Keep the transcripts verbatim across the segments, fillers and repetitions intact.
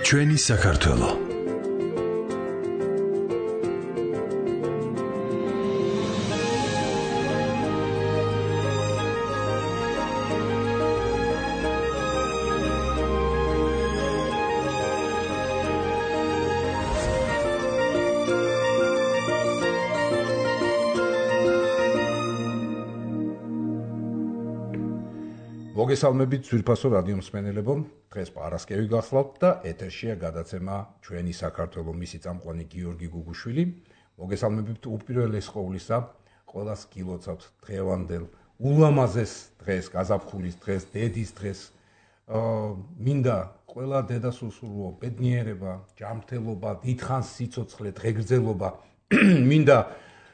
ჩვენი საქართველო. მოგესალმებით ძვირფასო რადიო მსმენელებო, დღეს პარასკევი გახლავთ და ეთერშია გადაცემა ჩვენი საქართველო, მისი წამყვანი გიორგი გუგუშვილი. მოგესალმებით უპირველეს ყოვლისა, ყველას გილოცავთ დღევანდელ ულამაზეს დღეს, გაზაფხულის დღეს, დედის დღეს. მინდა ყველა დედას უსურვო ბედნიერება, ჯანმრთელობა, დიდხანს სიცოცხლე, დღეგრძელობა. მინდა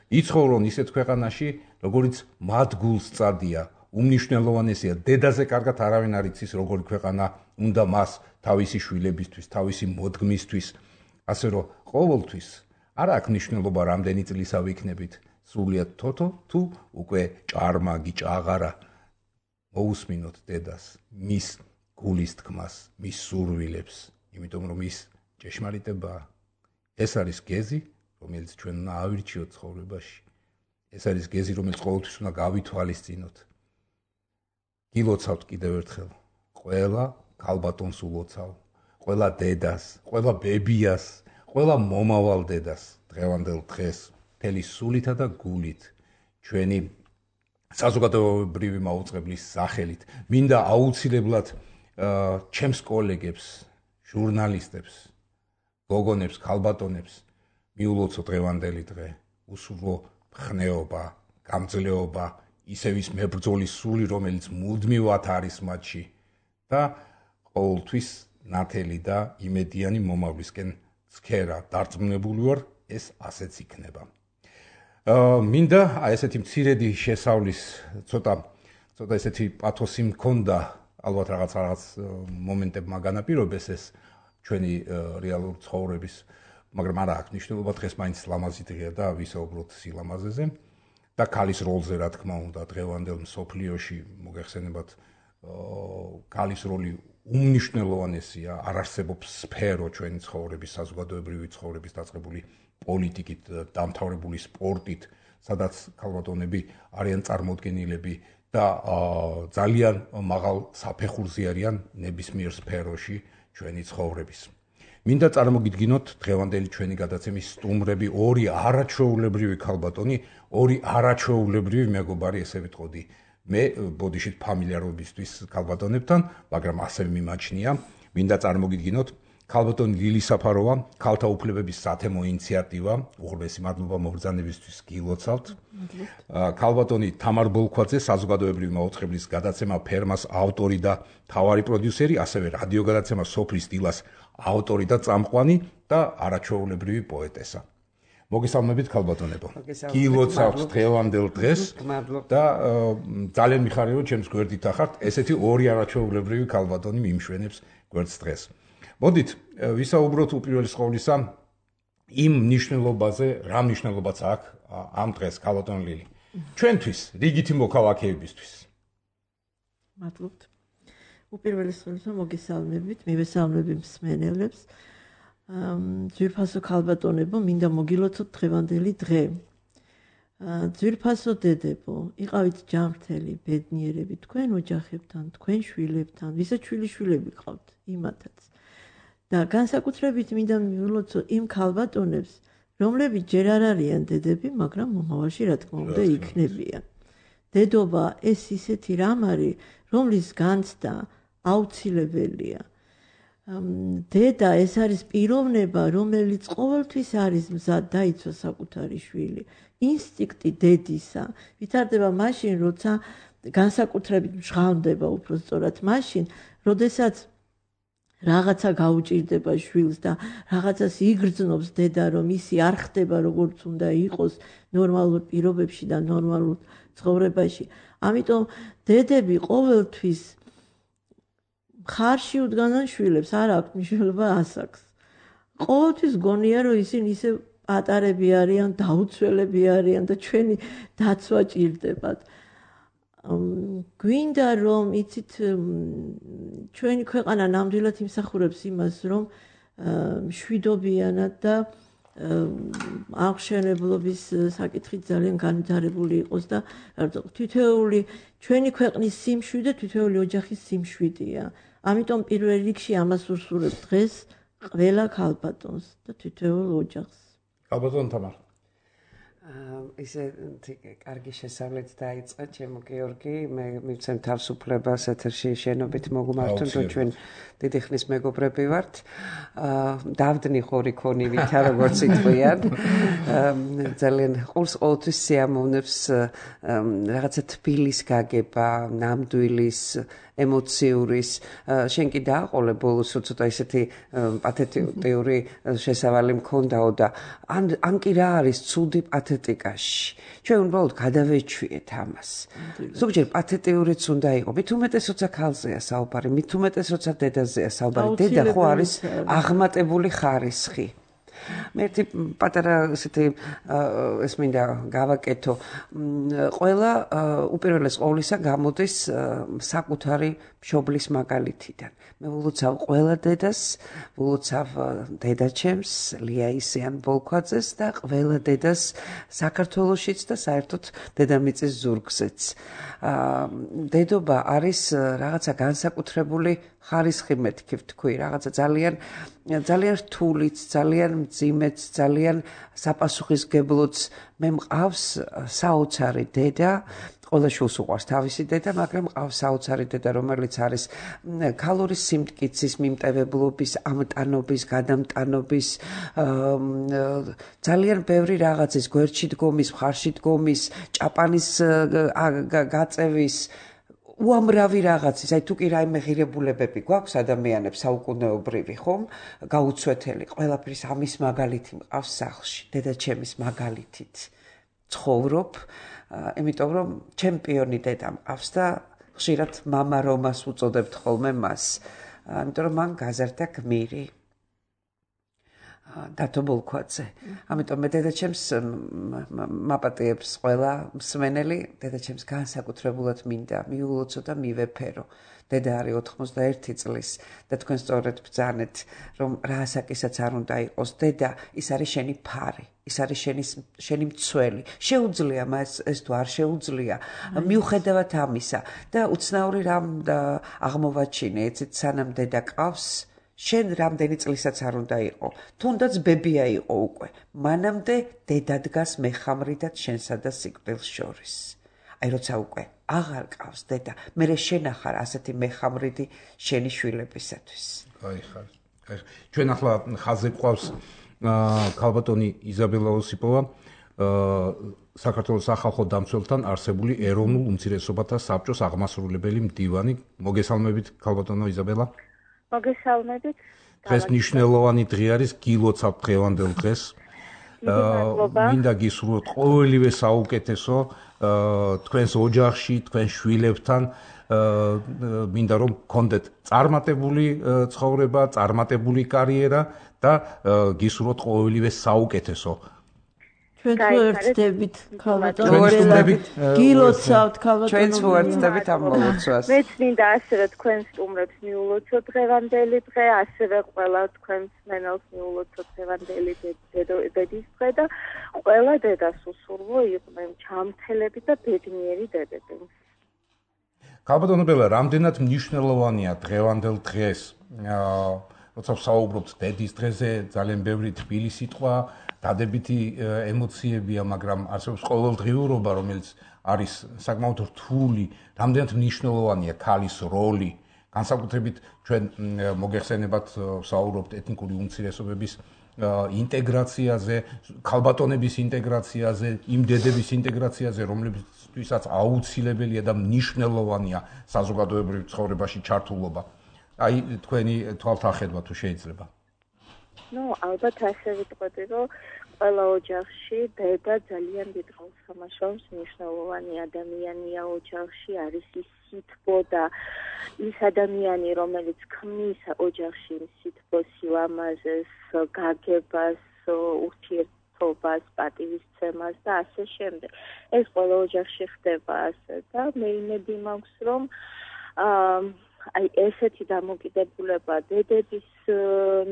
იცხოვრონ ისეთ ქვეყანაში, როგორც მათ გულს წადია. უმნიშვნელოვანესია, დედაზე კარგად არავინ არ იცის, როგორი ქვეყანა უნდა მას თავისი შვილებისთვის, თავისი მოდგმისთვის, ასე რომ ყოველთვის არ აქვს მნიშვნელობა რამდენი წლისა ვიქნებით, სრულიად თოთო თუ უკვე ჭარმაგი, ჭაღარა. მოусმინოთ დედას, მის გულის თქმას, მის სურვილებს, იმიტომ რომ ის ჭეშმარიტებაა. ეს არის გეზი, რომელიც ჩვენ უნდა ავირჩიოთ ცხოვრებაში. ეს არის გეზი, რომელიც ყოველთვის უნდა გავითვალისწინოთ. გილოცავთ კიდევ ერთხელ, ყველა ქალბატონს ულოცავ, ყველა დედას, ყველა ბებიას, ყველა მომავალ დედას, დღევანდელ დღეს, მთელი სულითა და გულით, ჩვენი საზოგადოებრივი მაუწყებლის სახელით. მინდა აუცილებლად ჩემს კოლეგებს, ჟურნალისტებს, გოგონებს, ქალბატონებს მიულოცო დღევანდელი დღე, უსურვო მხნეობა, გამძლეობა, ისევ ის მებრძოლის სული, რომელიც მუდმივად არის მათში და ყოველთვის ნათელი და იმედიანი მომავლისკენ ცქერა დარწმუნებული ვარ, ეს ასეც იქნება. მინდა აი ესეთი მცირედი შესავლის ცოტა ცოტა ესეთი პათოსი მქონდა, ალბათ რაღაც რაღაც მომენტებმა განაპირობეს ეს ჩვენი რეალური ცხოვრების, მაგრამ არა აქვს მნიშვნელობა, დღეს მაინც ლამაზი დღეა და ვისაუბროთ სილამაზეზე. და ქალის როლზე, რა თქმა უნდა, დღევანდელ მსოფლიოში მოგეხსენებათ, ქალის როლი უმნიშვნელოვანესია, არ არსებობს სფერო ჩვენი ცხოვრების, საზოგადოებრივი ცხოვრების დაწყებული პოლიტიკით, დამთავრებული სპორტით, სადაც ქალბატონები არიან წარმოდგენილები და ძალიან მაღალ საფეხურზე არიან ნებისმიერ სფეროში ჩვენი ცხოვრების. მინდა წარმოგიდგინოთ დღევანდელი ჩვენი გადაცემის სტუმრები, ორი არაჩვეულებრივი ქალბატონი, ორი არაჩვეულებრივი მეგობარი, ესე ვიტყოდი. მე ბოდიშით ფამილიარობისთვის ქალბატონებთან, მაგრამ ასევე მიმაჩნია, მინდა წარმოგიდგინოთ ქალბატონი ლილი საფაროვა, ქალთა უფლებების სათემო ინიციატივა, უღრმესი მადლობა მობრძანებისთვის გილოცავთ. ქალბატონი თამარ ბოლქვაძე, საზოგადოებრივი მაუწყებლის გადაცემა ფერმას ავტორი და მთავარი პროდიუსერი, ასევე რადიო გადაცემა სოფლის დილას ავტორი და წამყვანი და არაჩვეულებრივი პოეტესა. მოგესალმებით ქალბატონებო. გილოცავთ დღევანდელ დღეს და ძალიან მიხარია, რომ ჩემს გვერდით ახართ, ესეთი ორი არაჩვეულებრივი ქალბატონი მიმშვენებს გვერდს დღეს. მოდით ვისაუბროთ უპირველეს ყოვლისა იმ მნიშვნელობაზე, რა მნიშვნელობაც აქვს ამ დღეს ქალბატონ ლილი. ჩვენთვის, რიგითი მოქალაქეებისთვის. მადლობთ. უპირველეს ყოვლისა მოგესალმებით, მივესალმები მსმენელებს. ძვირფასო ქალბატონებო, მინდა მოგილოცოთ დღევანდელი დღე. ძვირფასო დედებო, იყავით ჯანმრთელი, ბედნიერები თქვენ ოჯახებთან, თქვენ შვილებთან, ვისაც შვილიშვილები ყავთ, იმათაც. და განსაკუთრებით მინდა მივულოცო იმ ქალბატონებს, რომლებიც ჯერ არ არიან დედები, მაგრამ მომავალში რა თქმა უნდა იქნებიან. დედობა ეს ისეთი რამ არის, რომლის განცდა აუცილებელია. დედა ეს არის პიროვნება, რომელიც ყოველთვის არის მზად დაიცვა საკუთარი შვილი. ინსტინქტი დედისა ვითარდება მაშინ, როცა განსაკუთრებით მჟღავნდება უფრო სწორად მაშინ, როდესაც რაღაცა გაუჭირდება შვილს და რაღაცას იგრძნობს დედა, რომ ისი არ ხდება როგორც უნდა იყოს ნორმალურ პირობებში და ნორმალურ ცხოვრებაში. ამიტომ დედები ყოველთვის ხარში უდგანან შვილებს, არ აქვს მნიშვნელობა ასაკს. ყოველთვის გონია, რომ ისინი ისე პატარები არიან, დაუცველები არიან და ჩვენი დაცვა ჭირდებათ. გვინდა რომ იცით ჩვენი ქვეყანა ნამდვილად იმსახურებს იმას, რომ მშვიდობიანად და აღშენებლობის საკითხით ძალიან განვითარებული იყოს და თითოეული ჩვენი ქვეყნის სიმშვიდე თითოეული ოჯახის სიმშვიდეა. ამიტომ პირველ რიგში ამას უსურვებ დღეს ყველა ქალბატონს და თითოეულ ოჯახს. ქალბატონ თამარ. ისე კარგი შესავლით დაიწყე ჩემო გიორგი, მე მივცემ თავისუფლებას ეთერში შენობით მოგმართონ, რომ ჩვენ დიდი ხნის მეგობრები ვართ. დავდნი ხორი ქონივითა, როგორც იტყვიან. ძალიან ყურს ყოველთვის სიამოვნებს რაღაცა თბილის გაგება, ნამდვილის ემოციურის შენ კი დააყოლე ბოლოს ცოტა ისეთი პათეტიური შესავალი მქონდაო და ან ან კი რა არის ცუდი პათეტიკაში ჩვენ უბრალოდ გადავეჩვიეთ ამას ზოგჯერ პათეტიურიც უნდა იყოს მით უმეტეს როცა ქალზეა საუბარი მით უმეტეს როცა დედაზეა საუბარი დედა ხო არის აღმატებული ხარისხი მე ერთი პატარა ესეთი ეს მინდა გავაკეთო ყველა უპირველეს ყოვლისა გამოდის საკუთარი მშობლის მაგალითიდან მე ვილოცავ ყველა დედას ვილოცავ დედაჩემს ლიაისიან ბოლქვაძეს და ყველა დედას საქართველოშიც და საერთოდ დედამიწის ზურგზეც დედობა არის რაღაცა განსაკუთრებული ხარისხი მეთქი ვთქვი რაღაცა ძალიან ძალიან რთულიც ძალიან მძიმეც ძალიან საპასუხისგებლოც მე მყავს საოცარი დედა ყველა შულს უყვარს თავისი დედა მაგრამ მყავს საოცარი დედა რომელიც არის ქალური სიმტკიცის მიმტევებლობის ამტანობის გადამტანობის ძალიან ბევრი რაღაცის გვერდში დგომის მხარში დგომის ჭაპანის გაწევის უამრავი რაღაცის, აი თუ კი რაიმე ღირებულებები გვაქვს ადამიანებს საუკუნეობრივი ხომ, გაუცვეთელი, ყველაფრის ამის მაგალითი მყავს სახლში, დედაჩემის მაგალითით ცხოვრობ, იმიტომ რომ ჩემპიონი დედა მყავს და ხშირად მამა რომას უწოდებთ ხოლმე მას, იმიტომ რომ მან გაზარდა გმირი. დათო ბოლქვაძე. ამიტომ მე დედაჩემს მაპატიებს ყველა მსმენელი, დედაჩემს განსაკუთრებულად მინდა მიულოცო და მივეფერო. დედა არის ოთხმოცდაერთი წლის და თქვენ სწორედ ბრძანეთ, რომ რა ასაკისაც არ უნდა იყოს. დედა ის არის შენი ფარი, ის არის შენი შენი მცველი. შეუძლია მას ეს თუ არ შეუძლია, მიუხედავად ამისა და უცნაური რამ აღმოვაჩინე, ეცეთ სანამ დედა ყავს შენ რამდენი წლისაც არ უნდა იყო, თუნდაც ბებია იყო უკვე, მანამდე დედა დგას მეხამრიდად შენსა და სიკვდილს შორის. აი როცა უკვე აღარ ყავს დედა, მერე შენ ახარ ასეთი მეხამრიდი შენი შვილებისათვის. აი ხარ. აი ჩვენ ახლა ხაზზე გვყავს ქალბატონი იზაბელა ოსიპოვა, საქართველოს სახალხო დამცველთან არსებული ეროვნულ უმცირესობათა საბჭოს აღმასრულებელი მდივანი. მოგესალმებით ქალბატონო იზაბელა. მოგესალმებით. დღეს მნიშვნელოვანი დღე არის, გილოცავთ დღევანდელ დღეს. მინდა გისურვოთ ყოველივე საუკეთესო თქვენს ოჯახში, თქვენ შვილებთან. მინდა რომ გქონდეთ წარმატებული ცხოვრება, წარმატებული კარიერა და გისურვოთ ყოველივე საუკეთესო. ჩვენ თუ ერთდებით ქალბატონო გილოცავთ ქალბატონო ჩვენ თუ ერთდებით ამ მოლოცვას მეც მინდა ასევე თქვენ სტუმრებს მიულოცო დღევანდელი დღე ასევე ყველა თქვენ მსმენელს მიულოცო დღევანდელი დედის დღე და ყველა დედას უსურვო იყვნენ ჩამთელები და ბედნიერი დედები. ქალბატონო ბელა, რამდენად მნიშვნელოვანია დღევანდელ დღეს როცა ვსაუბრობთ დედის დღეზე ძალიან ბევრი თბილი სიტყვა დადებითი ემოციებია, მაგრამ არსებობს ყოველდღიურობა, რომელიც არის საკმაოდ რთული, რამდენად მნიშვნელოვანია ქალის როლი. განსაკუთრებით ჩვენ მოგეხსენებათ ვსაუბრობთ ეთნიკური უმცირესობების ინტეგრაციაზე, ქალბატონების ინტეგრაციაზე, იმ დედების ინტეგრაციაზე, რომლებისთვისაც აუცილებელია და მნიშვნელოვანია საზოგადოებრივ ცხოვრებაში ჩართულობა. აი თქვენი თვალთახედვა თუ შეიძლება. ნუ ალბათ ასე ვიტყვი, რომ ყველა ოჯახში დედა ძალიან დიდ როლს თამაშობს, მნიშვნელოვანი ადამიანია ოჯახში, არის ის სითბო და ის ადამიანი, რომელიც ქმნის ოჯახში სითბოს, სილამაზეს, გაგებას, ურთიერთობას, პატივისცემას და ასე შემდეგ. ეს ყველა ოჯახში ხდება ასე და მე იმედი მაქვს, რომ აი ესეთი დამოკიდებულება დედების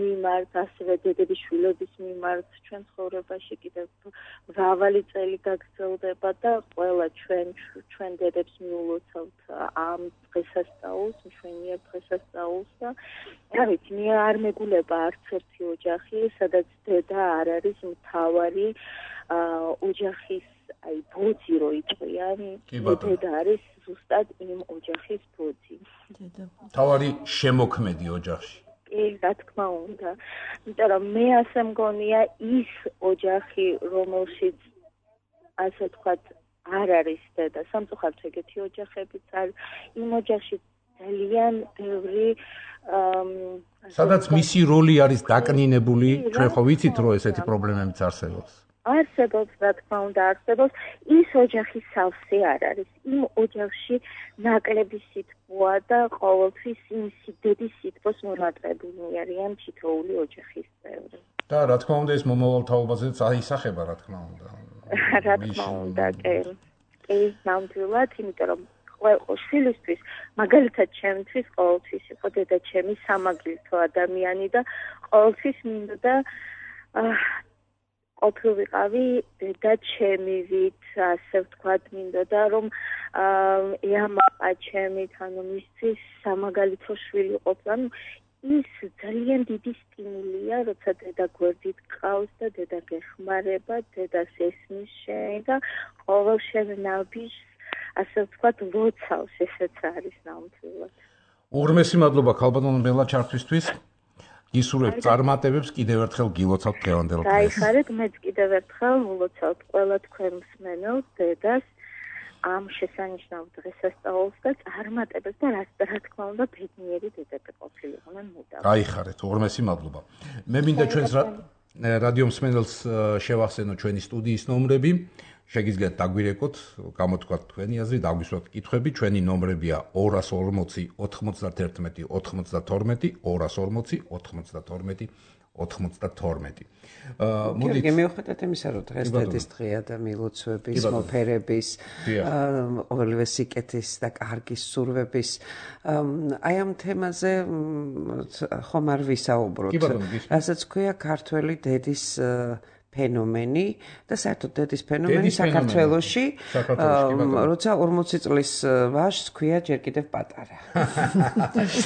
მიმართ, ასევე დედების შვილების მიმართ ჩვენ ცხოვრებაში კიდევ მრავალი წელი გაგრძელდება და ყველა ჩვენ ჩვენ დედებს მიულოცავთ ამ დღესასწაულს, მშვენიერ დღესასწაულს და რა ვიცი, მე არ მეგულება არც ერთი ოჯახი, სადაც დედა არ არის მთავარი ოჯახის აი ბოძი რო იყვიან, დედა არის ზუსტად იმ ოჯახის ბოძი. თავარი შემოქმედი ოჯახში. კი, რა თქმა უნდა. იმიტომ რომ მე ასე მგონია ის ოჯახი, რომელშიც ასე ვთქვათ, არ არის დედა, სამწუხაროდ ეგეთი ოჯახებიც არის, იმ ოჯახში ძალიან ბევრი სადაც მისი როლი არის დაკნინებული, ჩვენ ხო ვიცით, რომ ესეთი პრობლემებიც არსებობს. არსებობს, რა თქმა უნდა, არსებობს, ის ოჯახი სავსე არ არის. იმ ოჯახში ნაკლები სითბოა და ყოველთვის იმ დედის სითბოს მონატრებულნი არიან თითოეული ოჯახის წევრი. და რა თქმა უნდა, ეს მომავალ თაობაზეც აისახება, რა თქმა უნდა. რა თქმა უნდა, კი. კი, ნამდვილად, იმიტომ რომ შვილისთვის, მაგალითად ჩემთვის ყოველთვის იყო დედა ჩემი სამაგილითო ადამიანი და ყოველთვის მინდოდა ყოფილიყავი დედა ჩემივით, ასე ვთქვათ, მინდოდა რომ ეამაყა ჩემით, ანუ მისთვის სამაგალითო შვილი ყოფილა. ის ძალიან დიდი სტიმულია, როცა დედა გვერდით ყავს და დედა გეხმარება, დედას ესმის შენ და ყოველ შენ ნაბიჯს, ასე ვთქვათ, ლოცავს, ესეც არის ნამდვილად. უღრმესი მადლობა ქალბატონ ბელა ჩართვისთვის. გისურვებთ წარმატებებს, კიდევ ერთხელ გილოცავთ დღევანდელ დღეს. გაიხარეთ, მეც კიდევ ერთხელ ულოცავთ ყველა თქვენ მსმენელს, დედას ამ შესანიშნავ დღესასწაულს და წარმატებებს და რა თქმა უნდა ბედნიერი დედები ყოფილიყვნენ მუდამ. გაიხარეთ, უღრმესი მადლობა. მე მინდა ჩვენს რადიო მსმენელს შევახსენო ჩვენი სტუდიის ნომრები. შეგიძლიათ დაგვირეკოთ, გამოთქვათ თქვენი აზრი, დაგვისვათ კითხვები, ჩვენი ნომრებია ორას ორმოცი ოთხმოცდაერთმეტი ოთხმოცდათორმეტი, ორას ორმოცი ოთხმოცდათორმეტი ოთხმოცდათორმეტი. მოდით მივხვდეთ იმისა, რომ დღეს დედის დღეა და მილოცვების, მოფერების, ყოველივე სიკეთის და კარგის სურვების აი ამ თემაზე ხომ არ ვისაუბროთ. რასაც ქვია ქართველი დედის ფენომენი და საერთოდ დედის ფენომენი საქართველოში, როცა ორმოცი წლის ვაჟს ქვია ჯერ კიდევ პატარა.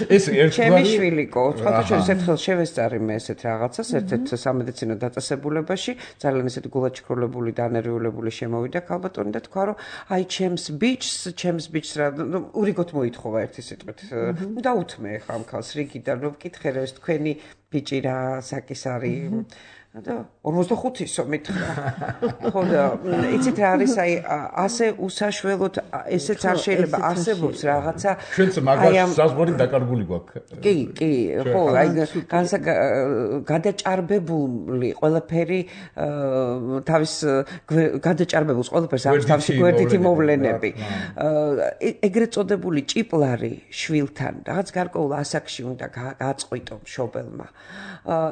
ეს ერთგვარი ჩემი შვილიკო, ოთხმოცდაშვიდი ერთხელ შევესწარი მე ესეთ რაღაცას, ერთ-ერთ სამედიცინო დაწესებულებაში, ძალიან ესეთ გულაჩქროლებული და ანერვიულებული შემოვიდა ქალბატონი და თქვა, რომ აი ჩემს ბიჭს, ჩემს ბიჭს რა, ურიგოთ მოითხოვა ერთი სიტყვით. დაუთმე ხა ამ ქალს რიგიდან, რომ ვკითხე რა ეს თქვენი ბიჭი რა საკის არის. და ორმოცდახუთისო მითხრა. ხო და იცით რა არის აი ასე უსაშველოდ ესეც არ შეიძლება არსებობს რაღაცა. ჩვენც მაგას საზღვარი დაკარგული გვაქვს. კი, კი, ხო, აი გადაჭარბებული ყველაფერი თავის გადაჭარბებულს ყველაფერს აქვს თავისი გვერდითი მოვლენები. ეგრეთ წოდებული ჭიპლარი შვილთან რაღაც გარკვეულ ასაკში უნდა გაწყვიტო მშობელმა.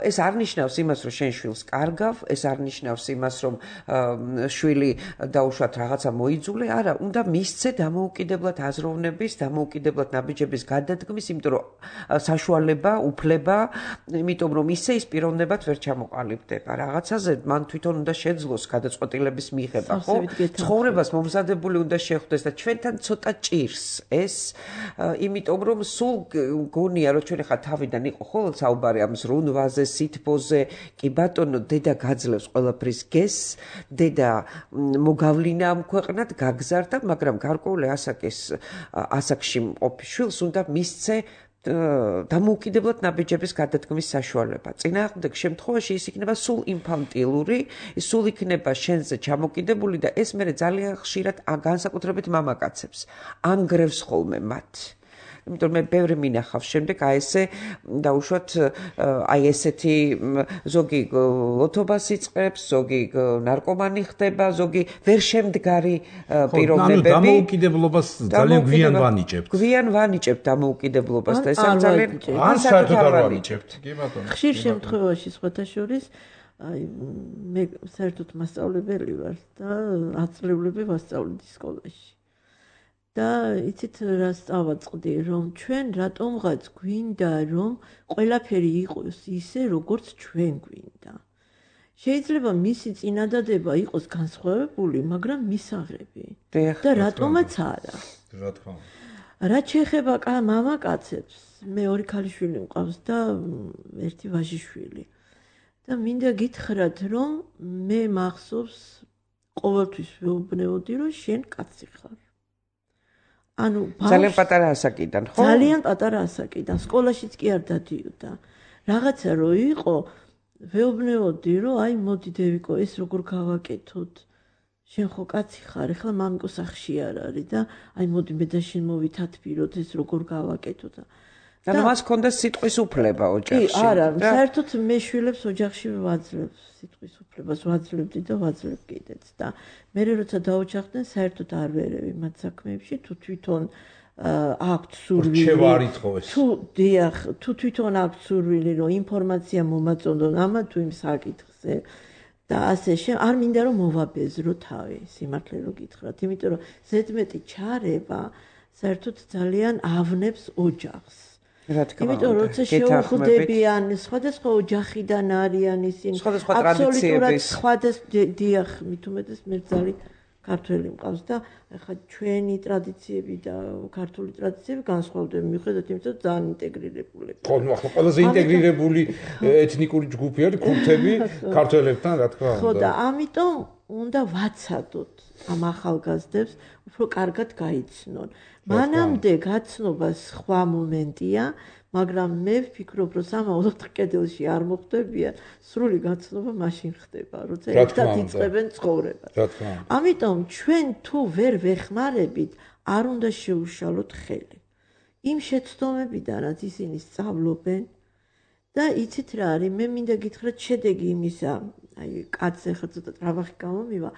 ეს არ ნიშნავს იმას, რომ შენ შვილს კარგავ, ეს არ ნიშნავს იმას, რომ შვილი დაუშვათ რაღაცა მოიძულე, არა, უნდა მისცე დამოუკიდებლად აზროვნების, დამოუკიდებლად ნაბიჯების გადადგმის, იმიტომ რომ საშუალება, უფლება, იმიტომ რომ ისე ის პიროვნებად ვერ ჩამოყალიბდება. რაღაცაზე მან თვითონ უნდა შეძლოს გადაწყვეტილების მიღება, ხო? ცხოვრებას მომზადებული უნდა შეხვდეს და ჩვენთან ცოტა ჭირს ეს, იმიტომ რომ სულ გონია, რომ ჩვენ ხა თავიდან იყო ხოლმე საუბარი ამ ზრუნვაზე, სითბოზე, კი ბატონო დედა გაძლევს ყველაფრის გესს, დედა მოგავლინა ამ ქვეყნად, გაგზარდა, მაგრამ გარკვეული ასაკის ასაკში მყოფ შვილს უნდა მისცე დამოუკიდებლად ნაბიჯების გადადგმის საშუალება. წინააღმდეგ შემთხვევაში ის იქნება სულ ინფანტილური, სულ იქნება შენზე ჩამოკიდებული და ეს მე ძალიან ხშირად განსაკუთრებით მამაკაცებს ანგრევს ხოლმე მათ. იმიტომ მე ბევრი მინახავს შემდეგ აი ესე დაუშვათ აი ესეთი ზოგი ლოთობას იწყებს, ზოგი ნარკომანი ხდება, ზოგი ვერ შემდგარი პიროვნებები. ანუ დამოუკიდებლობას ძალიან გვიან ვანიჭებთ. გვიან ვანიჭებთ დამოუკიდებლობას და ეს ძალიან ან საერთოდ არ ვანიჭებთ. კი ბატონო. ხშირ შემთხვევაში სხვათა შორის აი მე საერთოდ მასწავლებელი ვარ და ათწლეულები ვასწავლდი სკოლაში. და იცით რა სწავაწყდი, რომ ჩვენ რატომღაც გვინდა, რომ ყველაფერი იყოს ისე, როგორც ჩვენ გვინდა. შეიძლება მისი წინადადება იყოს განსხვავებული, მაგრამ მისაღები. და რატომაც არა. რა თქმა უნდა. რაც შეეხება მამაკაცებს, მე ორი ქალიშვილი მყავს და ერთი ვაჟიშვილი. და მინდა გითხრათ, რომ მე მახსოვს ყოველთვის ვეუბნეოდი, რომ შენ კაცი ხარ. ანუ ძალიან პატარა ასაკიდან, ხო? ძალიან პატარა ასაკიდან, სკოლაშიც კი არ დადიოდა. რაღაცა რო იყო, ვეუბნეოდი, რომ აი მოდი დევიკო, ეს როგორ გავაკეთოთ? შენ ხო კაცი ხარ, ეხლა მამიკო სახში არ არის და აი მოდი მე და შენ მოვითათბიროთ, ეს როგორ გავაკეთოთ? ანუ მას ჰქონდა სიტყვის უფლება ოჯახში. კი, არა, საერთოდ მე შვილებს ოჯახში ვაძლევ სიტყვის უფლებას, ვაძლევდი და ვაძლევ კიდეც და მე როცა დაოჯახდნენ, საერთოდ არ ვერევი მათ საქმეებში, თუ თვითონ აქვთ სურვილი. თუ დიახ, თუ თვითონ აქვთ სურვილი, რომ ინფორმაცია მომაწონდონ ამა თუ იმ საკითხზე და ასე შე არ მინდა რომ მოვაბეზრო თავი, სიმართლე რო გითხრათ, იმიტომ რომ ზედმეტი ჩარევა საერთოდ ძალიან ავნებს ოჯახს. რა თქმა უნდა. იმიტომ რომ როცა შეუხვდებიან სხვადასხვა ოჯახიდან არიან ისინი, სხვადასხვა ტრადიციების, სხვადასხვა დიახ, მით უმეტეს მერձალი ქართველი მყავს და ახლა ჩვენი ტრადიციები და ქართული ტრადიციები განსხვავდება მიუხედავად იმისა, რომ ძალიან ინტეგრირებული. ხო, ნუ ახლა ყველაზე ინტეგრირებული ეთნიკური ჯგუფი არის ქურთები ქართველებთან, რა თქმა უნდა. ხო და ამიტომ უნდა ვაცადოთ ამ ახალგაზრდებს უფრო კარგად გაიცნონ. მანამდე გაცნობა სხვა მომენტია, მაგრამ მე ვფიქრობ, რომ სამავდოდ კედელში არ მოხდებიან, სრული გაცნობა მაშინ ხდება, როცა ერთად იწყებენ ცხოვრებას. ამიტომ ჩვენ თუ ვერ ვეხმარებით, არ უნდა შეუშალოთ ხელი. იმ შეცდომებიდანაც ისინი სწავლობენ და იცით რა არის, მე მინდა გითხრათ შედეგი იმისა, აი კაცზე ხა ცოტა ტრაბახი გამომივა,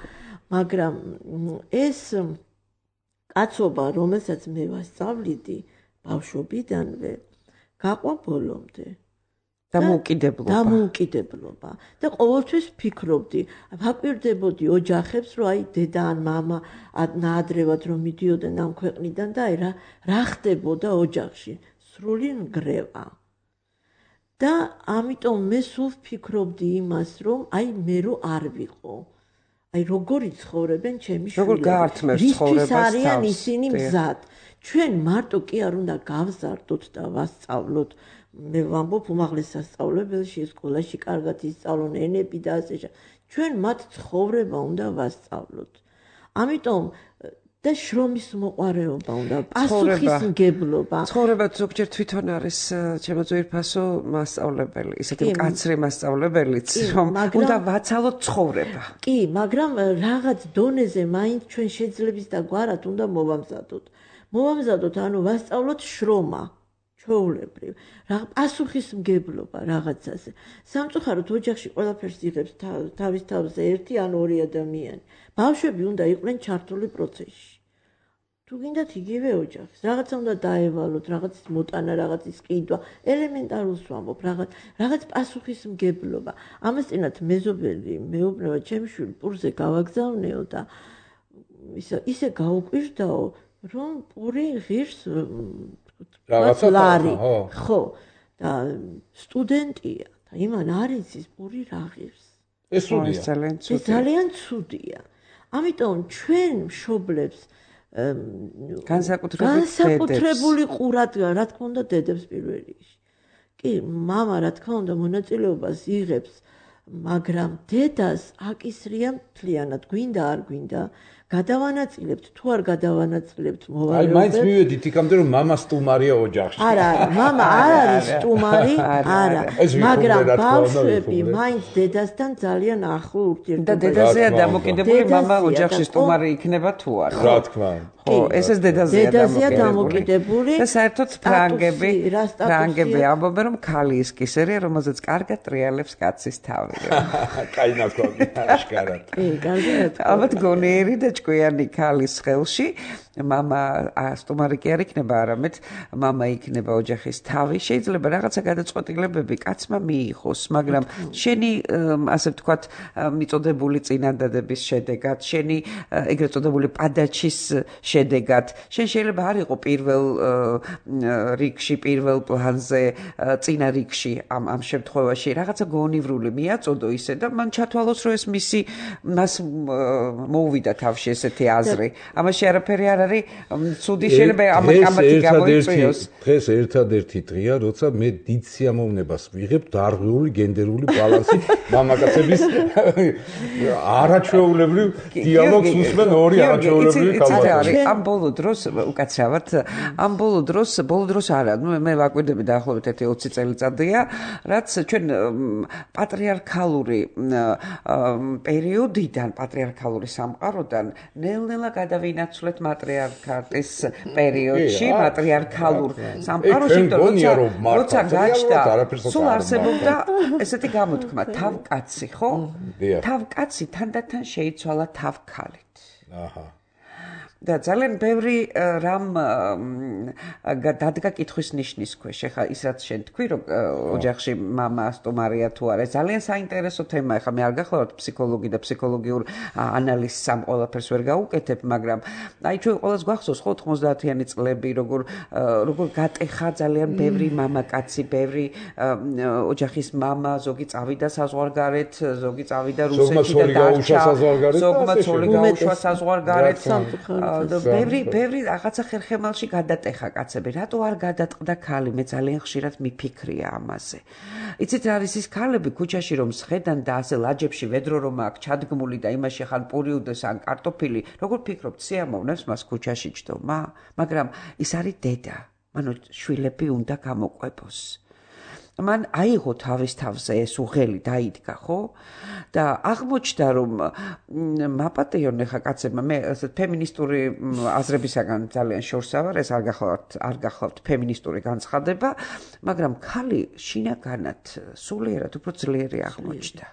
მაგრამ ეს კაცობა, რომელსაც მე ვასწავლიდი ბავშვობიდანვე, გაყვა ბოლომდე. დამოუკიდებლობა. დამოუკიდებლობა. და ყოველთვის ფიქრობდი, ვაკვირდებოდი ოჯახებს, რომ აი დედა ან მამა ნაადრევად რომ მიდიოდნენ ამ ქვეყნიდან და აი რა რა ხდებოდა ოჯახში, სრული ნგრევა. და ამიტომ მე სულ ვფიქრობდი იმას, რომ აი მე რო არ ვიყო. აი როგორი ცხოვრებენ ჩემი შვილები. როგორ გაართმევს ცხოვრებას თავს. არიან ისინი მზად. ჩვენ მარტო კი არ უნდა გავზარდოთ და ვასწავლოთ. მე ვამბობ უმაღლეს სასწავლებელში, სკოლაში კარგად ისწავლონ ენები და ასე შემდეგ. ჩვენ მათ ცხოვრება უნდა ვასწავლოთ. ამიტომ და შრომის მოყვარეობა უნდა, პასუხისმგებლობა. ცხოვრება ზოგჯერ თვითონ არის ჩემო ძვირფასო მასწავლებელი, ისეთი მკაცრი მასწავლებელიც, რომ უნდა ვაცალოთ ცხოვრება. კი, მაგრამ რაღაც დონეზე მაინც ჩვენ შეძლებს და გვარად უნდა მოვამზადოთ. მოვამზადოთ, ანუ ვასწავლოთ შრომა. ჩვეულებრივ, რა პასუხისმგებლობა რაღაცაზე. სამწუხაროდ ოჯახში ყველაფერს იღებს თავის თავზე ერთი ან ორი ადამიანი. ბავშვები უნდა იყვნენ ჩართული პროცესში. თუ გინდათ იგივე ოჯახის, რაღაცა უნდა დაევალოთ, რაღაცის მოტანა, რაღაცის ყიდვა, ელემენტარულს ვამბობ, რაღაც რაღაც პასუხისმგებლობა. ამასთანავე მეზობელი მეუბნება ჩემი შვილი პურზე გავაგზავნეო და ისე ისე გაუკვირდაო, რომ პური ღირს რაღაცა ხო და სტუდენტია და იმან არის ის პური რა ღირს. ეს სულია. ეს ძალიან ცუდია. ამიტომ ჩვენ მშობლებს განსაკუთრებული ყურადღება, რა თქმა უნდა, დედებს პირველ რიგში. კი, მამა რა თქმა უნდა მონაწილეობას იღებს, მაგრამ დედას აკისრია მთლიანად, გვინდა არ გვინდა, გადავანაწილებთ, თუ არ გადავანაწილებთ მოვალეობებს. აი, მაინც მივედით იქამდე, რომ მამა სტუმარია ოჯახში. არა, მამა არ არის სტუმარი, არა, მაგრამ ბავშვები მაინც დედასთან ძალიან ახლო ურთიერთობა. და დედაზეა დამოკიდებული, მამა ოჯახში სტუმარი იქნება თუ არა. რა თქმა უნდა. ხო, ესეც დედაზეა დამოკიდებული. და საერთოდ ფრანგები, ფრანგები ამბობენ, რომ ქალი ის კისერია, რომელზეც კარგად ტრიალებს კაცის თავს. კაი ნათქვამი აშკარად. კი, კარგად. ალბათ გონიერი და ჭკვიანი ქალის ხელში მამა სტუმარი კი არ იქნება, არამედ მამა იქნება ოჯახის თავი. შეიძლება რაღაცა გადაწყვეტილებები კაცმა მიიღოს, მაგრამ შენი ასე ვთქვათ მიწოდებული წინადადების შედეგად, შენი ეგრეთ წოდებული პადაჩის შედეგად, შენ შეიძლება არ იყო პირველ რიგში, პირველ პლანზე, წინა რიგში ამ ამ შემთხვევაში რაღაცა გონივრული მიაწოდო ისე და მან ჩათვალოს, რომ ეს მისი მას მოუვიდა თავში ესეთი აზრი. ამაში არაფერი არ არის ცუდი, შეიძლება ამათი გამოიწვიოს. დღეს ერთადერთი დღეა, როცა მე დიდ სიამოვნებას ვიღებ დარღვეული გენდერული ბალანსი მამაკაცების არაჩვეულებრივ დიალოგს უსმენ ორი არაჩვეულებრივი ქალბატონი. ამ ბოლო დროს უკაცრავად, ამ ბოლო დროს, ბოლო დროს არა, მე ვაკვირდები დაახლოებით ერთი ოცი წელიწადია, რაც ჩვენ პატრიარქალური პერიოდიდან, პატრიარქალური სამყაროდან ნელ-ნელა გადავინაცვლეთ მატრიარქატის პერიოდში, მატრიარქალურ სამყაროში, როცა გაჩნდა, სულ არსებობდა ესეთი გამოთქმა, თავკაცი, ხო? თავკაცი თანდათან შეიცვალა თავქალით. აჰა. და ძალიან ბევრი რამ დადგა კითხვის ნიშნის ქვეშ. ეხლა ის რაც შენ თქვი, რომ ოჯახში მამა სტუმარია თუ არა, ძალიან საინტერესო თემაა. ეხლა მე არ გახლავართ ფსიქოლოგი და ფსიქოლოგიურ ანალიზს ამ ყველაფერს ვერ გავუკეთებ, მაგრამ აი ჩვენ ყველას გვახსოვს ხო თხმოცდაათიანი წლები, როგორ როგორ გატეხა ძალიან ბევრი მამაკაცი, ბევრი ოჯახის მამა, ზოგი წავიდა საზღვარგარეთ, ზოგი წავიდა რუსეთში და დარჩა, ზოგმა ცოლი გაუშვა საზღვარგარეთ. ბევრი ბევრი რაღაცა ხერხემალში გადატეხა კაცები. რატო არ გადატყდა ქალი? მე ძალიან ხშირად მიფიქრია ამაზე. იცით რა არის ის ქალები ქუჩაში რომ სხედან და ასე ლაჯებში ვედრო რომ აქვს ჩადგმული და იმაში ხან პური უდეს ან კარტოფილი, როგორ ფიქრობთ, სიამოვნებს მას ქუჩაში ჯდომა? მაგრამ ის არის დედა. მანო შვილები უნდა გამოყვებოს. მან აიღო თავის თავზე ეს უღელი დაიდგა, ხო? და აღმოჩნდა რომ მაპატეონ ხა კაცებმა, მე ასე ფემინისტური აზრებისაგან ძალიან შორსა ვარ, ეს არ გახლავთ, არ გახლავთ ფემინისტური განცხადება, მაგრამ ქალი შინაგანად სულიერად უფრო ძლიერი აღმოჩნდა.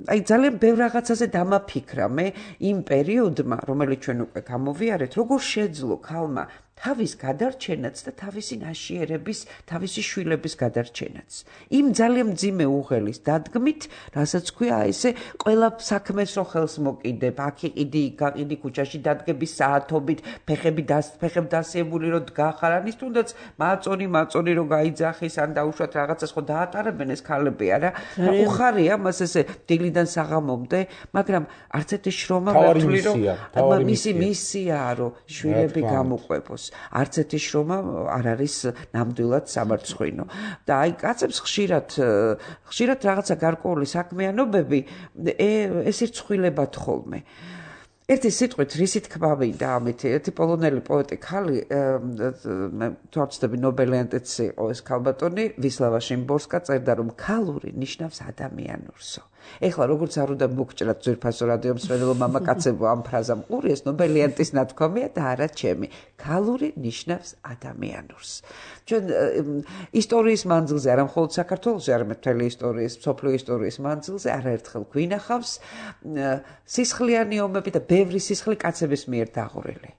აი ძალიან ბევრ რაღაცაზე დამაფიქრა მე იმ პერიოდმა, რომელიც ჩვენ უკვე გამოვიარეთ, როგორ შეძლო ქალმა თავის გადარჩენაც და თავისი ნაშიერების, თავისი შვილების გადარჩენაც. იმ ძალიან მძიმე უღელის დადგმით, რასაც ქვია ესე ყველა საქმეს რო ხელს მოკიდებ, აქ იყიდი, იქ გაყიდი ქუჩაში დადგების საათობით, ფეხები ფეხებ დასიებული რო დგახარ, ანის თუნდაც მაწონი, მაწონი რო გაიძახის, ან დაუშვათ რაღაცას ხო დაატარებენ ეს ქალები, არა? უხარია მას ესე დილიდან საღამომდე, მაგრამ არც ერთი შრომა მართული რომ მისი მისიაა რომ შვილები გამოყვებოს. არც ერთი შრომა არ არის ნამდვილად სამარცხვინო. და აი კაცებს ხშირად ხშირად რაღაცა გარკვეული საქმიანობები ეს ირცხვილებათ ხოლმე. ერთი სიტყვით რისი თქმა მინდა ამით, ერთი პოლონელი პოეტი ქალი, თორცდები ნობელიანტიც იყო ეს ქალბატონი, ვისლავა შიმბორსკა წერდა რომ ქალური ნიშნავს ადამიანურსო. ეხლა როგორც არ უნდა მოგჭრათ ძვირფასო რადიო მსმენელო მამაკაცებო ამ ფრაზამ ყურიეს, ნობელიანტის ნათქვამია და არა ჩემი. ქალური ნიშნავს ადამიანურს. ჩვენ ისტორიის მანძილზე, არა მხოლოდ საქართველოში, არამედ მთელი ისტორიის, მსოფლიო ისტორიის მანძილზე არაერთხელ გვინახავს სისხლიანი ომები და ბევრი სისხლი კაცების მიერ დაღვრილი.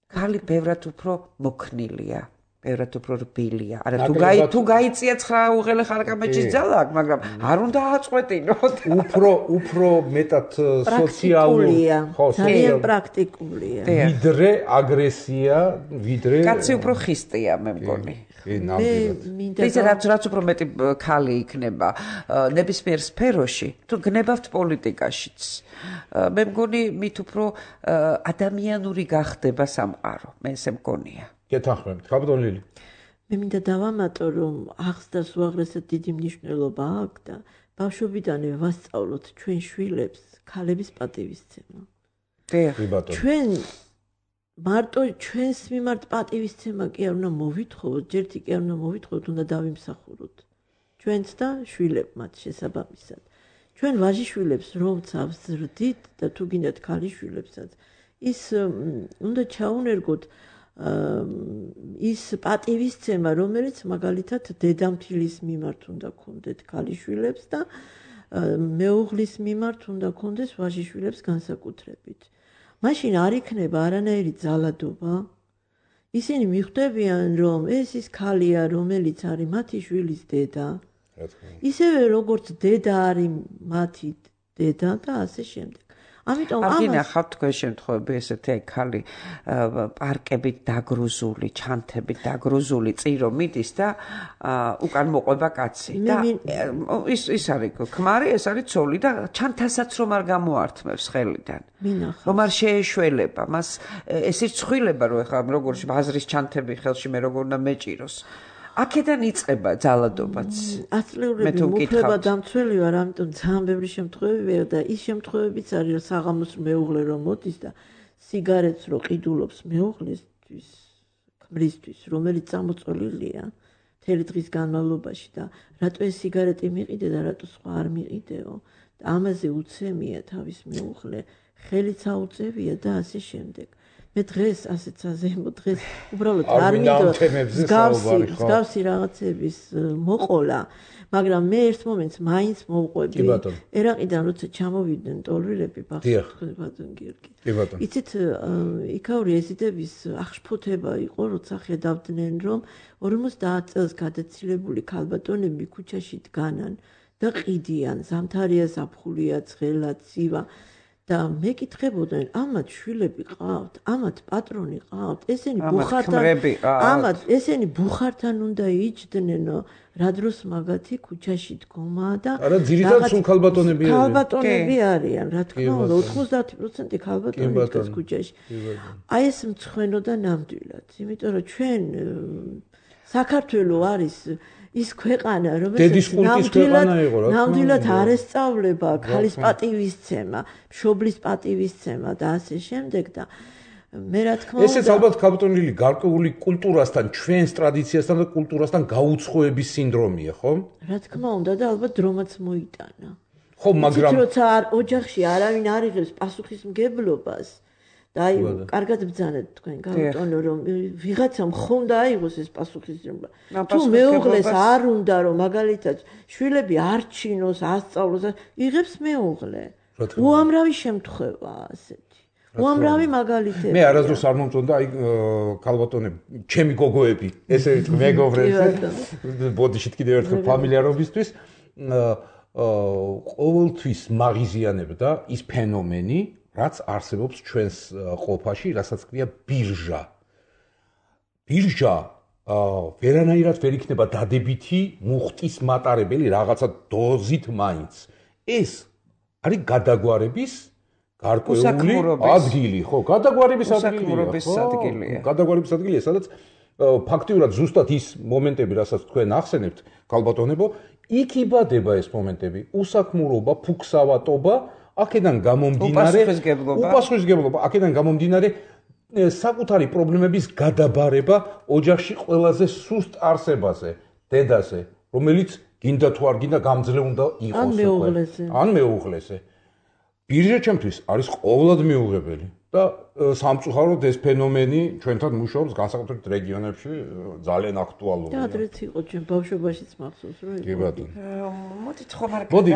ქალი ბევრად უფრო მოქნილია. ბევრად უფრო რბილია. არა თუ გაი თუ გაიწია ცხრა უღელე ხარკამეჩის ძალა, მაგრამ არ უნდა აწყვეტინოთ. უფრო უფრო მეტად სოციალური, ხო, ძალიან პრაქტიკულია. ვიდრე აგრესია, ვიდრე კაცი უფრო ხისტია, მე მგონი. ისე რაც რაც უფრო მეტი ქალი იქნება ნებისმიერ სფეროში, თუ გნებავთ პოლიტიკაშიც. მე მგონი მით უფრო ადამიანური გახდება სამყარო. მე ესე მგონია. გეთანხმებით, ქალბატონ ლილი. მე მინდა დავამატო, რომ აღზრდას უაღრესად დიდი მნიშვნელობა აქვს და ბავშვობიდანვე ვასწავლოთ ჩვენ შვილებს ქალების პატივისცემა. ჩვენ მარტო ჩვენს მიმართ პატივისცემა კი არ უნდა მოვითხოვოთ, ჯერთი კი არ უნდა მოვითხოვოთ, უნდა დავიმსახუროთ. ჩვენც და შვილებმაც შესაბამისად. ჩვენ ვაჟიშვილებს რომც ავზრდით და თუ გინდათ ქალიშვილებსაც, ის უნდა ჩაუნერგოთ ის პატივისცემა, რომელიც მაგალითად დედამთილის მიმართ უნდა ქონდეთ ქალიშვილებს და მეუღლის მიმართ უნდა ქონდეს ვაჟიშვილებს განსაკუთრებით. მაშინ არ იქნება არანაირი ძალადობა. ისინი მიხვდებიან, რომ ეს ის ქალია, რომელიც არის მათი შვილის დედა. ისევე როგორც დედა არის მათი დედა და ასე შემდეგ. ამიტომ ამას არ გინახავთ თქვენ შემთხვევები ესეთი ქალი პარკებით დაგრუზული, ჩანთებით დაგრუზული წირო მიდის და უკან მოყვება კაცი და ის ის არის ქმარი, ეს არის ცოლი და ჩანთასაც რომ არ გამოართმევს ხელიდან. რომ არ შეეშველება, მას ეს ირცხვილება რომ ეხლა როგორ ბაზრის ჩანთები ხელში მე როგორ უნდა მეჭიროს. აქედან იწყება ძალადობაც. ათწლეულები მუქლება დამცველი ვარ, ამიტომ ძალიან ბევრი შემთხვევებია და ის შემთხვევებიც არის, საღამოს მეუღლე რომ მოდის და სიგარეტს რო ყიდულობს მეუღლისთვის, ქმრისთვის, რომელიც წამოწოლილია მთელი დღის განმავლობაში და რატო ეს სიგარეტი მიყიდე და რატო სხვა არ მიყიდეო და ამაზე უცემია თავის მეუღლე, ხელიც აუწევია და ასე შემდეგ. მე დღეს ასეც აზემო დღეს უბრალოდ არ მინდო მსგავსი რაღაცების მოყოლა, მაგრამ მე ერთ მომენტს მაინც მოვყვები. ერაყიდან როცა ჩამოვიდნენ ტოლვილები ბატონ გიორგი. იცით, იქაური ეზიდების აღშფოთება იყო, როცა ხედავდნენ, რომ ორმოცდაათ წელს გადაცილებული ქალბატონები ქუჩაში დგანან და ყიდიან, ზამთარია, ზაფხულია, ცხელა, ცივა. და მეკითხებოდნენ, ამათ შვილები ყავთ, ამათ პატრონი ყავთ, ესენი ბუხართან, ამათ ესენი ბუხართან უნდა იჯდნენო, რა დროს მაგათი ქუჩაში დგომა და არა, ძირითადად სულ ქალბატონები არიან. ქალბატონები არიან, რა თქმა უნდა, ოთხმოცდაათი პროცენტი ქალბატონი დგას ქუჩაში. აი ეს მცხვენო და ნამდვილად, იმიტომ რომ ჩვენ საქართველო არის ის ქვეყანა, რომელიც ნამდვილად არ ესწავლება ქალის პატივისცემა, მშობლის პატივისცემა და ასე შემდეგ და მე რა თქმა უნდა ესეც ალბათ ქალბატონელი გარკვეული კულტურასთან, ჩვენს ტრადიციასთან და კულტურასთან გაუცხოების სინდრომია, ხო? რა თქმა უნდა და ალბათ დრომაც მოიტანა. ხო, მაგრამ როცა ოჯახში არავინ არ იღებს პასუხისმგებლობას და აი, კარგად ბძანეთ თქვენ გავუტონო, რომ ვიღაცამ ხომ დააიღოს ეს პასუხისმგებლობა. თუ მეუღლეს არ უნდა, რომ მაგალითად შვილები არ ჩინოს, ასწავლოს, იღებს მეუღლე. უამრავი შემთხვევაა ასეთი. უამრავი მაგალითები. მე არასდროს არ მომწონდა აი ქალბატონები, ჩემი გოგოები, ესე ვიტყვი მეგობრებზე, ბოდიშით კიდევ ერთხელ ფამილიარობისთვის, ყოველთვის მაღიზიანებდა ის ფენომენი, რაც არსებობს ჩვენს ყოფაში, რასაც ქვია ბირჟა. ბირჟა ვერანაირად ვერ იქნება დადებითი მუხტის მატარებელი რაღაცა დოზით მაინც. ეს არის გადაგვარების გარკვეული ადგილი, ხო, გადაგვარების ადგილია. გადაგვარების ადგილია, სადაც ფაქტიურად ზუსტად ის მომენტები, რასაც თქვენ ახსენებთ, ქალბატონებო, იქ იბადება ეს მომენტები, უსაქმურობა, ფუქსავატობა, აქედან გამომდინარე უპასუხისმგებლობა, აქედან გამომდინარე საკუთარი პრობლემების გადაბარება ოჯახში ყველაზე სუსტ არსებაზე, დედაზე, რომელიც გინდა თუ არ გინდა გამძლე უნდა იყოს. ან მეუღლეზე. ან მეუღლეზე. ბირჟა ჩემთვის არის ყოველად მიუღებელი და სამწუხაროდ ეს ფენომენი ჩვენთან მუშაობს განსაკუთრებით რეგიონებში ძალიან აქტუალურია. და ადრეც იყო ჩვენ ბავშვობაშიც მახსოვს რომ კი ბატონო. მოდით ხომ არ მოდი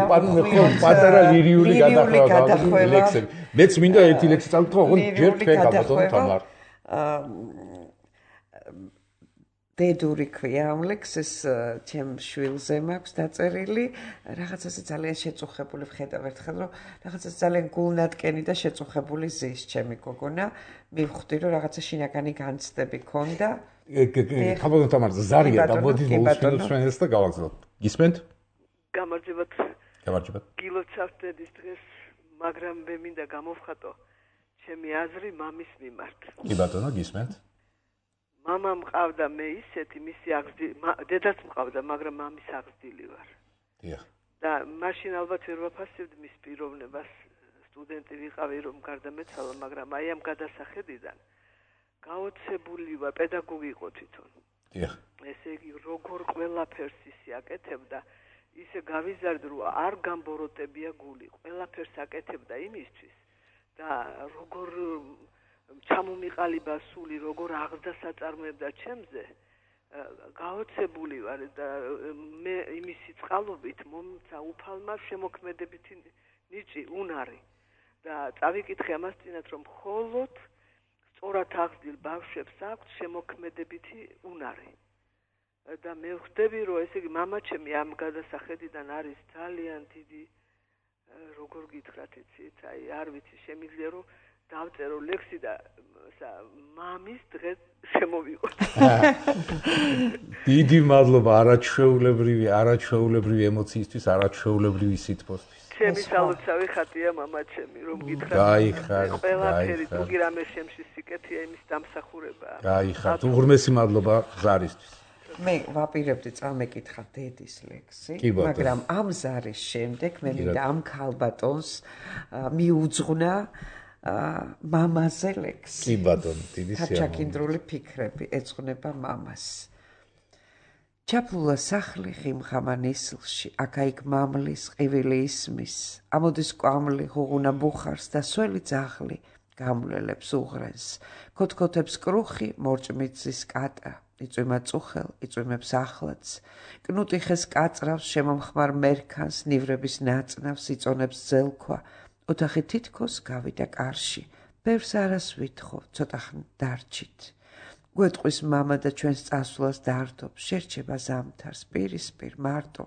პატარა ლირიული გადახვევა ლექსები. მეც მინდა ერთი ლექსი წავკითხო, ოღონდ ჯერ თქვენ გაბატონო თამარ. დედური ქვია ამ ლექსს, ჩემ შვილზე მაქვს დაწერილი, რაღაცაზე ძალიან შეწუხებული ვხედავ ერთხელ, რომ რაღაცას ძალიან გულნატკენი და შეწუხებული ზის ჩემი გოგონა, მივხვდი, რომ რაღაცა შინაგანი განცდები ქონდა. ქაბატონო თამარ, ზარია და მოდით მოусმინოთ ჩვენ ეს და გავაგზავნოთ. გისმენთ? გამარჯობათ. გამარჯობათ. გილოცავთ დედის დღეს, მაგრამ მე მინდა გამოვხატო ჩემი აზრი მამის მიმართ. კი ბატონო, გისმენთ? მამა მყავდა მე ისეთი, მისი აღზრდილი, დედაც მყავდა, მაგრამ მამის აღზრდილი ვარ. დიახ. და მაშინ ალბათ ვერ ვაფასებდი მის პიროვნებას, სტუდენტი ვიყავი რომ გარდამეცვალა, მაგრამ აი ამ გადასახედიდან გაოცებული ვარ, პედაგოგი იყო თვითონ. დიახ. ესე იგი, როგორ ყველაფერს ისი აკეთებდა, ისე გავიზარდ რომ არ გამბოროტებია გული, ყველაფერს აკეთებდა იმისთვის და როგორ ჩამომიყალიბა სული როგორ აღზრდა საწარმოებდა ჩემზე გაოცებული ვარ და მე იმისი წყალობით მომცა უფალმა შემოქმედებითი ნიჭი უნარი და წავიკითხე ამას წინათ რომ მხოლოდ სწორად აღზრდილ ბავშვებს აქვს შემოქმედებითი უნარი და მე ვხვდები რომ ესე იგი მამაჩემი ამ გადასახედიდან არის ძალიან დიდი როგორ გითხრათ იცით აი არ ვიცი შემიძლია რომ დავწერო ლექსი და მამის დღეს შემოვიყოთ. დიდი მადლობა არაჩვეულებრივი არაჩვეულებრივი ემოციისთვის, არაჩვეულებრივი სითბოსთვის. ჩემი სალოცავი ხატია მამაჩემი, რომ გითხრათ. გაიხარეთ, ყველაფერი თუგი რამე შემში სიკეთეა იმის დამსახურებაა. გაიხარეთ, უღრმესი მადლობა ზარისთვის. მე ვაპირებდი წამეკითხა დედის ლექსი, მაგრამ ამ ზარის შემდეგ მე მინდა ამ ქალბატონს მიუძღვნა მამაზე ლექსი. კი ბატონო, დიდი სიამოვნებით. ჩაკინდრული ფიქრები ეძღვნება მამას. ჩაფულა სახლი ღიმხამა ნისლში, აქა-იქ მამლის ყივილი ისმის, ამოდის კვამლი ღუღუნა ბუხარს და სველი ძაღლი გამვლელებს უღრენს, ქოთქოთებს კრუხი, მორჭმიცის კატა, იწვიმა წუხელ, იწვიმებს ახლაც, კნუტი ხეს კაწრავს, შემომხმარ მერქანს, ნივრების ნაწნავს, იწონებს ძელქვა, ოთახი თითქოს გავიდა კარში, ბევრს არას ვითხოვ, ცოტა ხნ დარჩით. გვეტყვის მამა და ჩვენს წასვლას დართობს, შერჩება ზამთარს, პირისპირ, მარტო,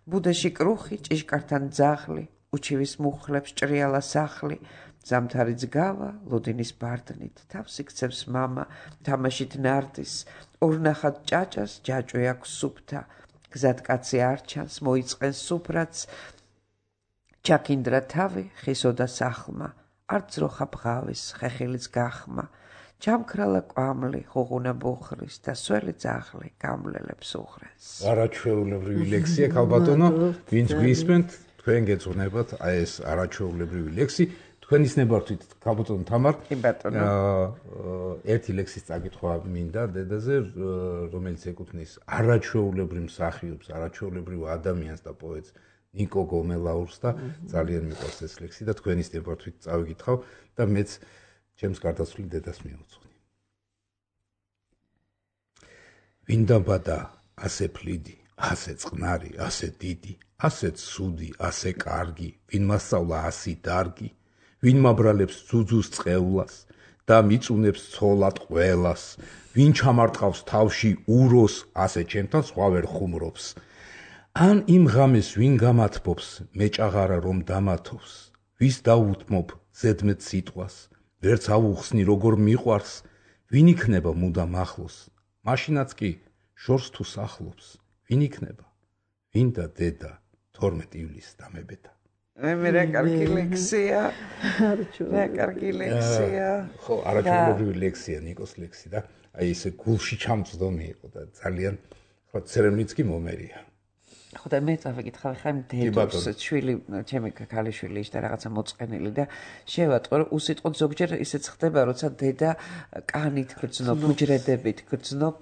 ბუდეში კრუხი, ჭიშკართან ძაღლი, უჩივის მუხლებს ჭრიალა სახლი, ზამთარი ძგავა, ლოდინის ბარდნით, თავს იქცევს მამა, თამაშით ნარდის, ორნახად ჭაჭას, ჯაჭვი აქვს სუფთა, გზად კაცი არ ჩანს, მოიწყენს სუფრაც, ჩაკინდრა თავი, ხისოდა სახლმა, არ ძროხა ბღავის, ხეხილიც გახმა, ჩამქრალა კვამლი, ღუღუნა ბუხრის და სველი ძაღლი გამვლელებს უღრენს. არაჩვეულებრივი ლექსია, ქალბატონო, ვინც გვისმენთ, თქვენ გეძღვნებათ აი ეს არაჩვეულებრივი ლექსი. თქვენ ისნებართვით ქალბატონო თამარ. კი ბატონო. ერთი ლექსის წაკითხვა მინდა დედაზე, რომელიც ეკუთვნის არაჩვეულებრივ მსახიობს, არაჩვეულებრივ ადამიანს და პოეტს ნიკო გომელაურს და ძალიან მიყვარს ეს ლექსი და თქვენ ისნებართვით წავიკითხავ და მეც ჩემს გარდაცვლილ დედას მიუძღვნი. ვინ დაბადა ასე ფლიდი, ასე წყნარი, ასე დიდი, ასე ცუდი, ასე კარგი, ვინ მასწავლა ასი დარგი, ვინ მაბრალებს ძუძუს წყევლას და მიწუნებს ცოლად ყველას, ვინ ჩამარტყავს თავში უროს, ასე ჩემთან სხვა ვერ ხუმრობს. ან იმ ღამეს ვინ გამათბობს, მეჭაღარა რომ დამათობს, ვის დაუთმობ ზედმეტ სიტყვას, ვერც ავუხსნი როგორ მიყვარს, ვინ იქნება მუდამ ახლოს, მაშინაც კი შორს თუ სახლობს, ვინ იქნება, ვინ და დედა თორმეტ ივლისს დამებედა. მე რა კარგი ლექსია. რა კარგი ლექსია. ხო, არაჩვეულებრივი ლექსია ნიკოს ლექსი და აი ესე გულში ჩამწვდომი იყო და ძალიან ხო ცერემლიც კი მომერია. ხო და მე წავიკითხავ ხა იმ დედოს შვილი, ჩემი ქალიშვილი ის და რაღაცა მოწყენილი და შევატყო რომ უსიტყვოდ ზოგჯერ ისეც ხდება როცა დედა კანით გრძნობ, უჯრედებით გრძნობ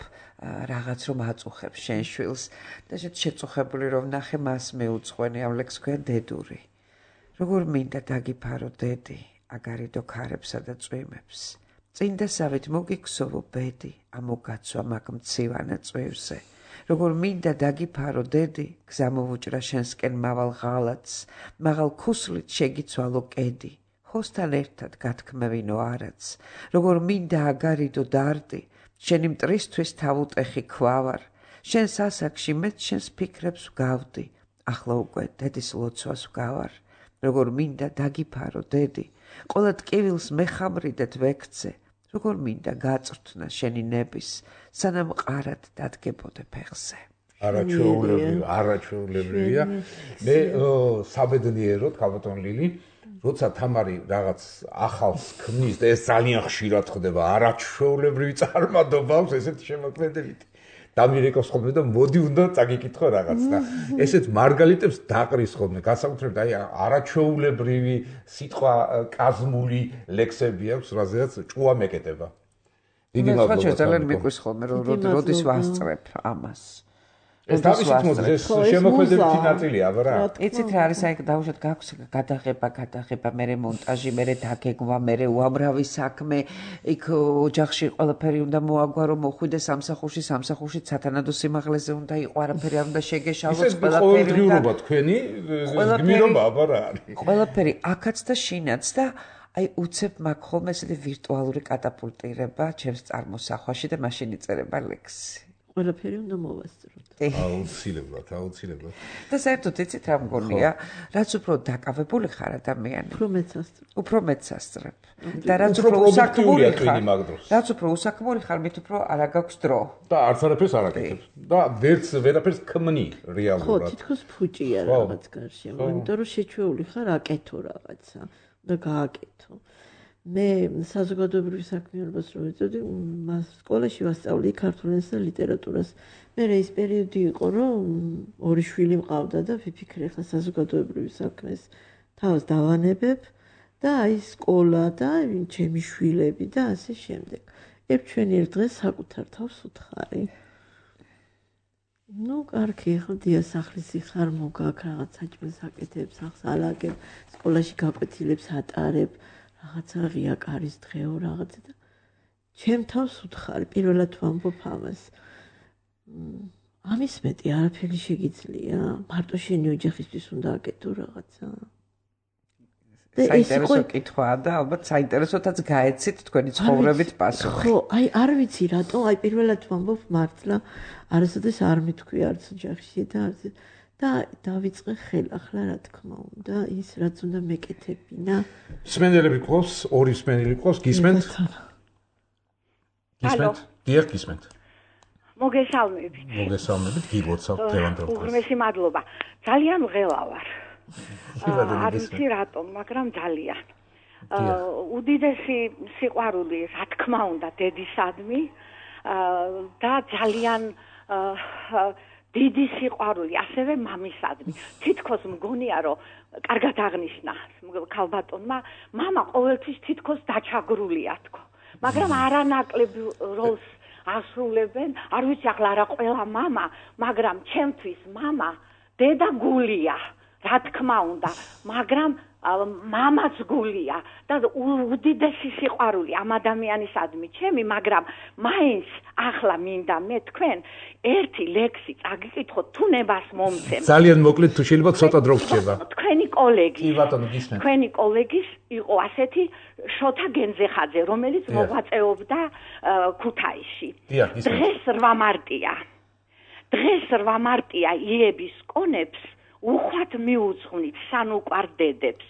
რაღაც რომ აწუხებს შენ შვილს და შეწუხებული რომ ნახე მას მეუძღვენი ამ ლექსს ქვია დედური. როგორ მინდა დაგიფარო დედი, აგარიდო ქარებსა და წვიმებს. წინდასავით მოგიქსოვო ბედი, ამოგაცვა მაგ მცივანა წვივზე. როგორ მინდა დაგიფარო დედი, გზა მოვუჭრა შენსკენ მავალ ღალატს, მაღალ ქუსლით შეგიცვალო კედი, ხოსთან ერთად გათქმევინო არაც. როგორ მინდა აგარიდო დარდი, შენი მტრისთვის თავუტეხი ქვავარ, შენს ასაკში მეც შენს ფიქრებს ვგავდი, ახლა უკვე დედის ლოცვას ვგავარ. როგორ მინდა დაგიფარო დედი, ყველა ტკივილს მეხამრიდეთ ვექცე, როგორ მინდა გაწვრთნა შენი ნების, სანამ ყარად დადგებოდე ფეხზე. არაჩვეულებრივი, არაჩვეულებრივია. მე საბედნიეროდ, ქალბატონ ლილი, როცა თამარი რაღაც ახალს ქმნის და ეს ძალიან ხშირად ხდება, არაჩვეულებრივი წარმადობა აქვს ესეთი შემოქმედებით. დამირეკავს ხოლმე და მოდი უნდა წაგიკითხო რაღაც და ესეთ მარგალიტებს დაყრის ხოლმე განსაკუთრებით აი არაჩვეულებრივი სიტყვა კაზმული ლექსები აქვს რაზეც ჭუა მეკეტება. დიდი მადლობა. მე ძალიან მიყვის ხოლმე რომ როდის ვასწრებ ამას. ეს თავისით მოდის, ეს შემოქმედებითი ნაწილია, აბა რა. იცით რა არის, აი დაუშვათ გაქვს გადაღება, გადაღება, მერე მონტაჟი, მერე დაგეგმა, მერე უამრავი საქმე, იქ ოჯახში ყველაფერი უნდა მოაგვარო, მოხვიდეს სამსახურში, სამსახურში სათანადო სიმაღლეზე უნდა იყო, არაფერი არ უნდა შეგეშალოს, ყველაფერი უნდა თქვენი გმირობა, აბა რა არის. ყველაფერი აქაც და შინაც და აი უცებ მაგ ხოლმე ესეთი ვირტუალური კატაპულტირება ჩემს წარმოსახვაში და მაშინ იწერება ლექსი. ყველაფერი უნდა მოვასწროთ. აუცილებლად, აუცილებლად. და საერთოდ იცით რა მგონია, რაც უფრო დაკავებული ხარ ადამიანი, უფრო მეც ასწრებ. უფრო მეც ასწრებ. და რაც უფრო უსაქმური ხარ, რაც უფრო უსაქმური ხარ, მით უფრო არ აგაქვს დრო. და არც არაფერს არ აკეთებ. და ვერც ვერაფერს ქმნი რეალურად. ხო, თითქოს ფუჭია რაღაც გარშემო, იმიტომ რომ შეჩვეული ხარ აკეთო რაღაცა და გააკეთო. მე საზოგადოებრივ საქმიანობას რო ეწოდი, სკოლაში ვასწავლი ქართულ ენას და ლიტერატურას. მე ეს პერიოდი იყო, რომ ორი შვილი მყავდა და ვიფიქრე ხა საზოგადოებრივ საქმეს თავს დავანებებ და აი სკოლა და ჩემი შვილები და ასე შემდეგ. ერთ ჩვენი ერთ დღეს საკუთარ თავს უთხარი. ну, კარგი, ხო, დია სახლისი ხარ, მოგაქ რაღაც საჭმელს აკეთებ, სახლს ალაგებ, სკოლაში გაკვეთილებს ატარებ. რაღაცა ღია კარის დღეო რაღაცა და ჩემ თავს უთხარი პირველად ვამბობ ამას. ამის მეტი არაფერი შეგიძლია? მარტო შენი ოჯახისთვის უნდა აკეთო რაღაცა. საინტერესო კითხვაა და ალბათ საინტერესოთაც გაეცით თქვენი ცხოვრებით პასუხი. ხო, აი არ ვიცი რატო, აი პირველად ვამბობ მართლა არასოდეს არ მithქვი არც ოჯახში და არც და დავიწყე ხელახლა რა თქმა უნდა ის რაც უნდა მეკეთებინა. მსმენელები ყავს, ორი მსმენელი ყავს, გისმენთ? გისმენთ? დიახ, გისმენთ. მოგესალმებით. მოგესალმებით, გილოცავ დღევანდელ. უღრმესი მადლობა. ძალიან ღელა ვარ. არ ვიცი რატომ, მაგრამ ძალიან. უდიდესი სიყვარული, რა თქმა უნდა, დედისადმი და ძალიან დიდი სიყვარული ასევე მამისადმი. თითქოს მგონია რომ კარგად აღნიშნა ქალბატონმა, მამა ყოველთვის თითქოს დაჩაგრულია თქო. მაგრამ არანაკლებ როლს ასრულებენ, არ ვიცი ახლა არა ყველა მამა, მაგრამ ჩემთვის მამა დედა გულია, რა თქმა უნდა, მაგრამ მამაც გულია და უდიდესი სიყვარული ამ ადამიანისადმი ჩემი, მაგრამ მაინც ახლა მინდა მე თქვენ ერთი ლექსი წაგიკითხოთ თუ ნებას მომცემ. ძალიან მოკლედ თუ შეიძლება ცოტა დრო გრჩება. თქვენი კოლეგი. კი ბატონო, გისმენთ. თქვენი კოლეგის იყო ასეთი შოთა გენძეხაძე, რომელიც მოღვაწეობდა ქუთაისში. დღეს რვა მარტია. დღეს რვა მარტია იების კონებს უხვად მიუძღვნით სანუკვარ-დედებს.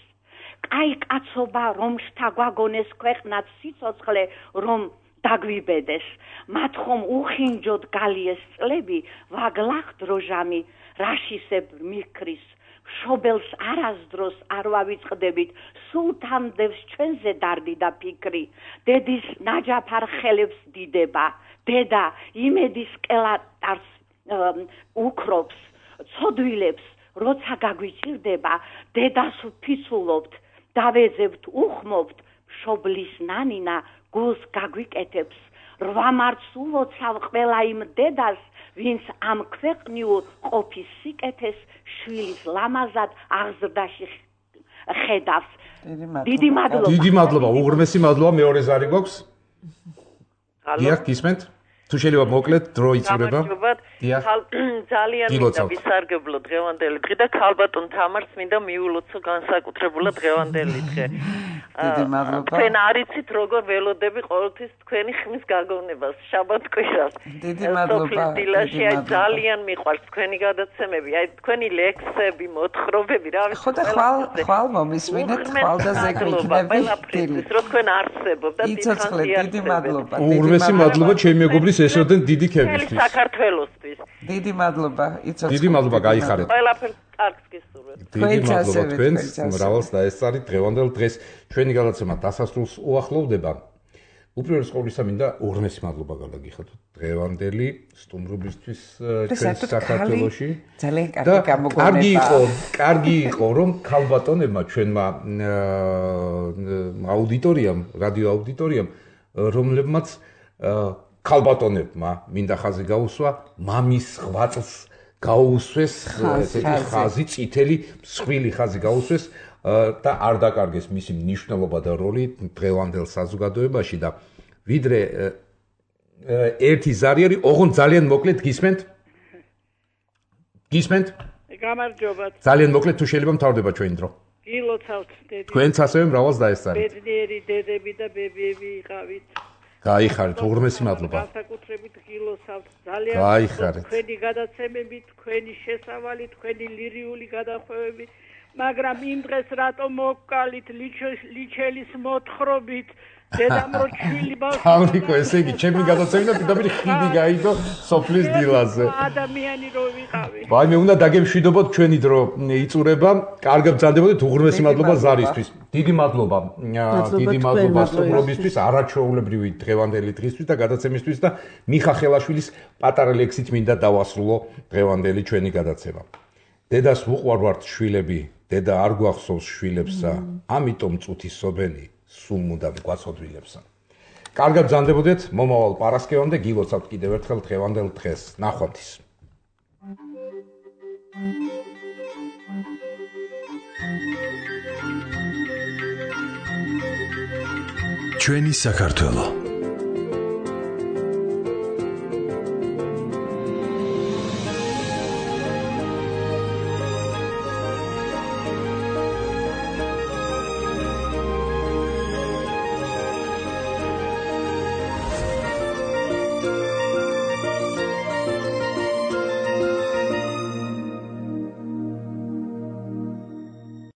კაი კაცობა რომ შთაგვაგონეს ქვეყნად სიცოცხლე რომ დაგვიბედეს. მათ ხომ უხინჯოდ გალიეს წლები ვაგლახთ როჟამი რაშისებ მიქრის. შობელს არასდროს არ ვავიწყდებით, სულთან დევს ჩვენზე დარდი და ფიქრი. დედის ნაჯაფარ ხელებს დიდება, დედა იმედის კელატარს უკრობს, ცოდვილებს როცა გაგვიჭირდება, დედას ვფიცულობთ, დავეძებთ, უხმობთ, მშობლის ნანინა გულს გაგვიკეთებს. რვა მარტს ულოცავ ყველა იმ დედას, ვინც ამ ქვეყნიურ ყოფის სიკეთეს შვილის ლამაზად აღზრდაში ხედავს. დიდი მადლობა. დიდი მადლობა, უღრმესი მადლობა, მეორე ზარი გვაქვს. დიახ, გისმენთ? თუ შეიძლება მოკლედ დრო იწურება. დიახ. ძალიან მინდა ვისარგებლო დღევანდელი დღე და ქალბატონ თამარს მინდა მიულოცო განსაკუთრებულად დღევანდელი დღე. დიდი მადლობა. თქვენ არიცით როგორ ველოდები ყოველთვის თქვენი ხმის გაგონებას შაბათ-კვირას. დიდი მადლობა. აი ძალიან მიყვარს თქვენი გადაცემები, აი თქვენი ლექსები, მოთხრობები, რა ვიცი. ხო და ხვალ ხვალ მომისმინეთ, ხვალ და ზეგმიქნები. ის რო თქვენ არსებობ და იცოცხლე, დიდი მადლობა. უღრმესი მადლობა ჩემი მეგობრის ესოდენ დიდი ქებისთვის. საქართველოსთვის. დიდი მადლობა, იცოცხლე. დიდი მადლობა, გაიხარეთ. ყველაფერს კარგს გისურვებთ. დიდი მადლობა თქვენს, მრავალს დაესწარით დღევანდელ დღეს. ჩვენი გადაცემა დასასრულს უახლოვდება. უპირველეს ყოვლისა მინდა უღრმესი მადლობა გალაგიხოთ დღევანდელი სტუმრობისთვის ჩვენს საქართველოში. ძალიან კარგი გამოგონება. კარგი იყო, კარგი იყო რომ ქალბატონებმა ჩვენმა აუდიტორიამ, რადიო აუდიტორიამ, რომლებმაც ქალბატონებმა მინდა ხაზი გაუსვა მამის ღვაწლს გაუსვეს ესეთი ხაზი, წითელი, მსხვილი ხაზი გაუსვეს და არ დაკარგეს მისი მნიშვნელობა და როლი დღევანდელ საზოგადოებაში და ვიდრე ერთი ზარი არის, ოღონდ ძალიან მოკლედ გისმენთ? გისმენთ? გამარჯობა. ძალიან მოკლედ თუ შეიძლება მთავრდება ჩვენი დრო. გილოცავთ დედი. თქვენც ასევე მრავალს დაესწარით. ბედნიერი დედები და ბებიები იყავით. გაიხარეთ, უღრმესი მადლობა. განსაკუთრებით გილოცავთ. ძალიან გაიხარეთ. თქვენი გადაცემები, თქვენი შესავალი, თქვენი ლირიული გადახვევები, მაგრამ იმ დღეს რატომ მოკალით ლიჩელის მოთხრობით დედამ რო ჩვილი ბავშვი ამრიკო ესე იგი ჩემი გადაცემა პირდაპირ ხიდი გაიგო სოფლის დილაზე ადამიანი რო ვიყავი ვაი მე უნდა დაგემშვიდობოთ ჩვენი დრო იწურება კარგად ბრძანდებოდეთ უღრმესი მადლობა ზარისთვის დიდი მადლობა დიდი მადლობა სტუმრობისთვის არაჩვეულებრივი დღევანდელი დღისთვის და გადაცემისთვის და მიხა ხელაშვილის პატარა ლექსით მინდა დავასრულო დღევანდელი ჩვენი გადაცემა დედას უყვარვართ შვილები დედა არ გვახსოვს შვილებსა ამიტომ წუთისობენი სულ მუდამ გვაცოდვილებსა. კარგად ბრძანდებოდეთ მომავალ პარასკევამდე გილოცავთ კიდევ ერთხელ დღევანდელ დღეს. ნახვამდის. ჩვენი საქართველო